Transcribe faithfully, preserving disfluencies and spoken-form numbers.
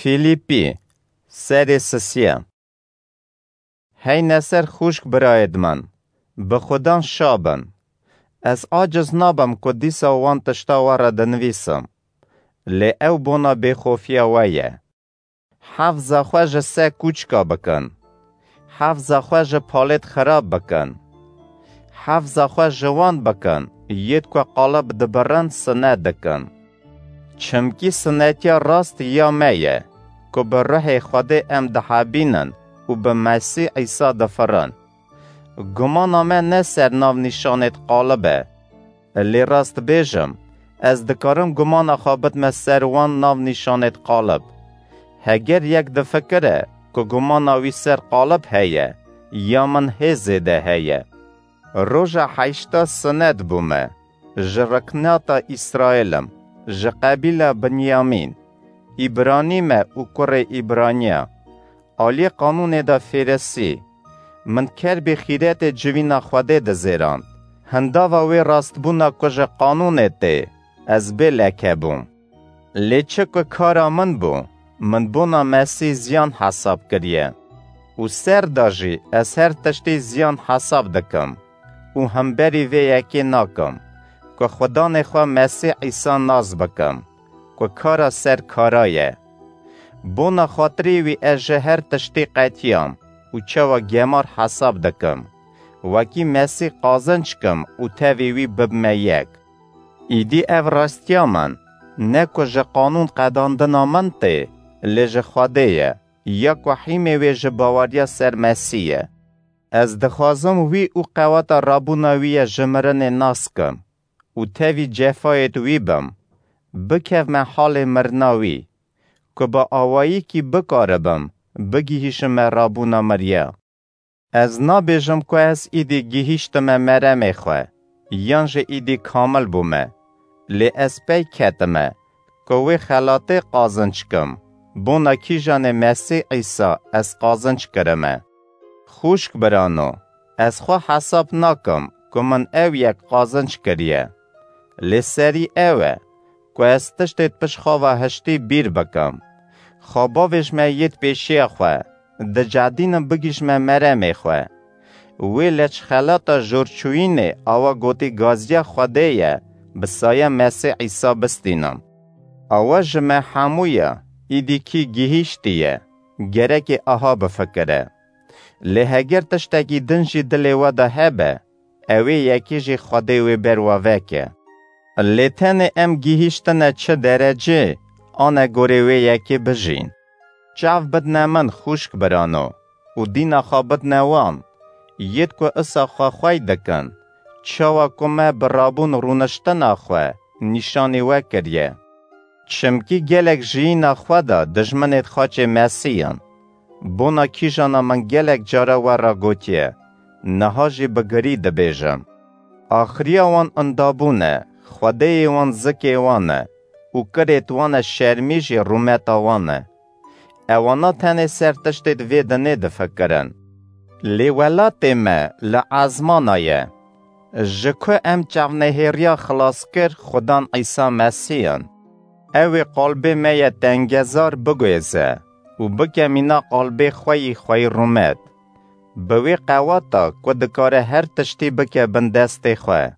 Fîlîpî, serê sisiye. Hey neser xûşk birayêd min, bi Xudan şa bin. Ez aciz nabim ku dîsa wan tişta we re dinivîsim. Lê ew bona bêxofiya we ye. Hefza xwe ji se kûçka bikin. Hefza xwe ji palêd xirab bikin. Hefza xwe ji wan bikin, yêd ku qalib dibirin sine dikin. Çimkî sinetiya rast ya me ye, ku bi ruhê Xwedê em dihebînin û bi Mesîh Îsa difirin. Gumana me ne ser nav nîşanêd qalib e. Lê rast bêjim, ez dikarim gumana xwe bidme ser wan nav nîşanêd qalib. Heger yek difikire ku gumana wî ser qalib heye, ya min hê zêde heye. Roja heşta sinet bûme, ji riknata Îsraêl im, ji qebîla Binyamîn. Îbranî me û kurê Îbraniya. Aliyê qanûnê de fêresî. Min kerbê xîretê civîna Xwedê dizêrand. Hindava wê rastbûna ku ji qanûnê tê, ez bê leke bûm. Lê çi ku kara min bû, min bona Mesîh ziyan hesab kiriye. Û ser de jî ez her tiştî ziyan hesab dikim û hemberî vê yekê nakim, ku Xudanê xwe Mesîh Îsa nas bikim, ku kara ser kara ye. Bona xatirê wî ez ji her tiştî qetiyam û çawa gemar hesab dikim, wekî Mesîh qazinc kim û tevî wî bibime yek. Îdî ev rastiya min, ne ku ji qanûn qedandina min tê, lê ji Xwedê ye, ya ku hîmê wê ji baweriya ser Mesîh ye. Ez dixwazim wî û qeweta rabûna wî ye ji mirinê nas kim û tevî cefayêd wî bim, bikevme halê mirina wî, ku bi awayîkî bikaribim bigihîşime rabûna miriya. Ez nabêjim ku ez îdî gihîştime meremê xwe, yan jî îdî kamil bûme, lê ez pey ketime, ku wê xelatê qazinc kim, bona kîjanê Mesîh Îsa ez qazinc kirime. Xûşk birano, ez xwe hesab nakim ku min ew yek qazinc kiriye. Lê serî ew e, ku ez tiştê pişt xwe ve hiştî bîr bikim. Xwe bavêjme yêd pêşiya xwe, dicedînim bigihîşme meremê xwe. Wê leçxelata jorçûyînê awa gotî gaziya Xwedê ye, bi saya Mesîh Îsa bistînim. Awa ji me hemû ye, îdî kî gihîştiye, gerekê aha bifikire. Lê heger tiştekî din jî dilê we de hebe, ew ê yekê jî Xwedê wê ber we veke. Lê tenê em gihîştine çi derecê, ane gorê wê yekê bijîn. Çav bidne min xûşk birano û dîna xwe bidne wan, yêd ku isa xwe xwey dikin, çawa ku me bi rabûn rûniştina xwe nîşanî we kiriye. Çimkî gelek jiyîna xwe da dijminêd xaçê Mesîh in. Bona kîjana min gelek cara we re gotiye, niha jî bi girî dibêjim. Axiriya wan indabûn e, xwedeyê wan zikê wan e û kirêd wan e, şermî jî rûmeta wan e. Ewana tenê ser tiştêd vê dinê difikirin. Lê welatê me li ezmana ye. Ji ku em çavnehêriya xilaskir Xudan Îsa Mesîh in. Ew ê qalbê me ye tengezar biguhêze û bike mîna qalbê xwe yî xweyî rûmet. Bi wê qeweta ku dikare her tiştî bike bin destê xwe.